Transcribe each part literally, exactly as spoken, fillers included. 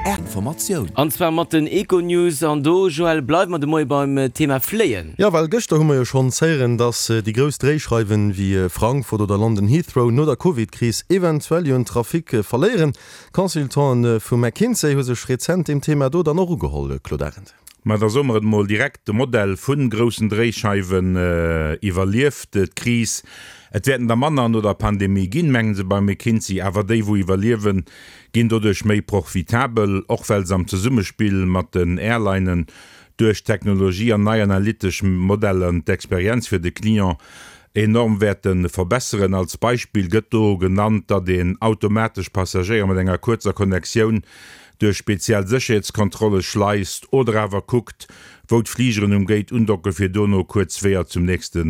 Informatioun. An zwar mat den Econews. An do, Joël, bleiwe mer de Moie beim Thema Fléien. Jo, well gëschter hu mer jo schonns héieren, dass déi grouss Dréischeiwen wéi Frankfurt oder London Heathrow no der Covid-Kris eventuell jo un Trafic verléieren. D'Consultanten vu McKinsey hu sech rezent deem Thema do dann och ugeholl, Claude Arend. Ma da soe mer et mol direkt, de Modell vu groussen Dréischeiwen iwwerlieft d'Kris. Et wäerten der manner no der Pandemie ginn, mengen se bei McKinsey, awer déi wou iwwerliewen, ginn doduerch méi profitabel, och well se am Zesummespill mat den Airlinen duerch Technologie an nei analytesch Modeller d'Experienz fir de Client enorm wäerte verbesseren. Als Beispill gëtt do genannt, datt een automatesch Passagéier mat enger kuerzer Connectioun duerch speziell Sécherheetskontrolle schleist oder awer kuckt, wou d'Fligeren um Gate undocken, fir dono kuerz Weeër zum nächste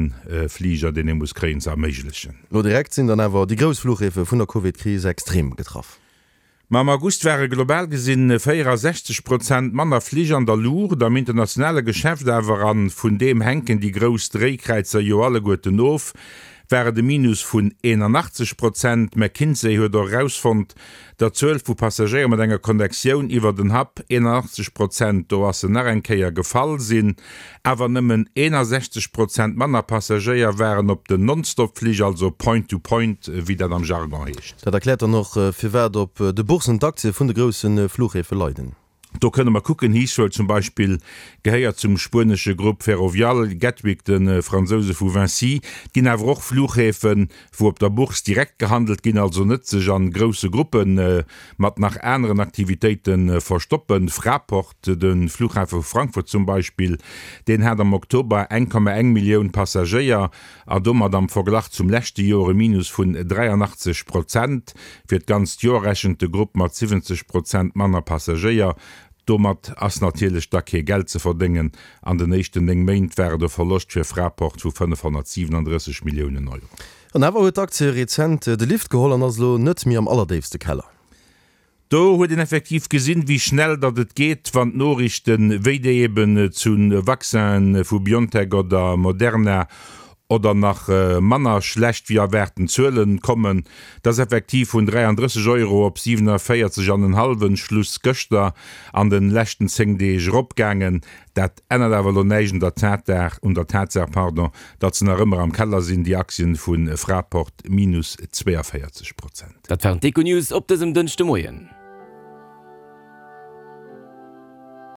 Fliger, deen ee muss kréien, ze erméiglechen. Lo direkt sinn dann awer déi grouss Fluchhäfe vun der Covid-Kris extrem getraff. Ma am August ware global gesinn véierasechzeg Prozent manner Flich an der Luucht, am internationale Geschäft awer, a vun deem hänken déi grouss Dréikräizer jo alleguerten of, war et e Minus vun eenanachtzeg Prozent. McKinsey huet och erausfonnt, datt d'Zuel vu Passagéier mat enger Connectioun iwwer den Hub eenanachtzeg Prozent, do ass se nach eng Kéier gefall, sinn. Awer nëmmen eenasechzeg Prozent manner Passagéier waren op den Nonstop-Flich, also Point-to-Point, wéi dat am Jargon heescht. Dat erkläert dann och, firwat op de Bourssen d'Aktie vun de grousse Fluchhäfe leiden. Do kënne mer kucken, Heathrow zum Beispill gehéiert zum spuenesche Grupp Ferrovial, Gatwick de Fransouse vu Vinci. Et ginn awer och Flughäfen, wou op der Bourse direkt gehandelt ginn, also net sech a grousse Gruppe mat nach aneren Aktivitéite verstoppen. Fraport, de Flughafe vu Frankfurt zum Beispill, deen hat am Oktober eng Komma eng Millioun Passagéier a domat am Verglach zum leschte Joer e Minus vun dräianachtzeg Prozent. Fir d'ganzt Joer rechent de Grupp mat siwwenzeg Prozent manner Passagéier. Domat ass natierlech da kee Geld ze verdéngen. An den éischten néng Méint war et e Verloscht fir Fraport vu fënnefhonnertsiwenandrësseg Milliounen Euro. An awer huet d'Aktie rezent de Lift geholl an ass elo net méi am allerdéifste Keller. Do huet een effektiv gesinn, wéi schnell datt et geet, wann d'Noriichten, wéi déi eben zu Vaccinen vu Biontech oder Moderna oder nach manner schlecht wéi erwaarten Zuelen kommen. Et ass effektiv vun dräiandrësseg Euro op siwenavéierzeg an en hallwen, Schluss gëschter, an den leschten zéng Deeg eropgaangen. Dat ännert awer elo näischt un der Tatsaach, un der Tatsaach, pardon, datt se nach ëmmer am Keller sinn, déi Aktien vu Fraport, minus zweeënvéierzeg Prozent. Dat waren d'Econews op dësem Dënschdemoien.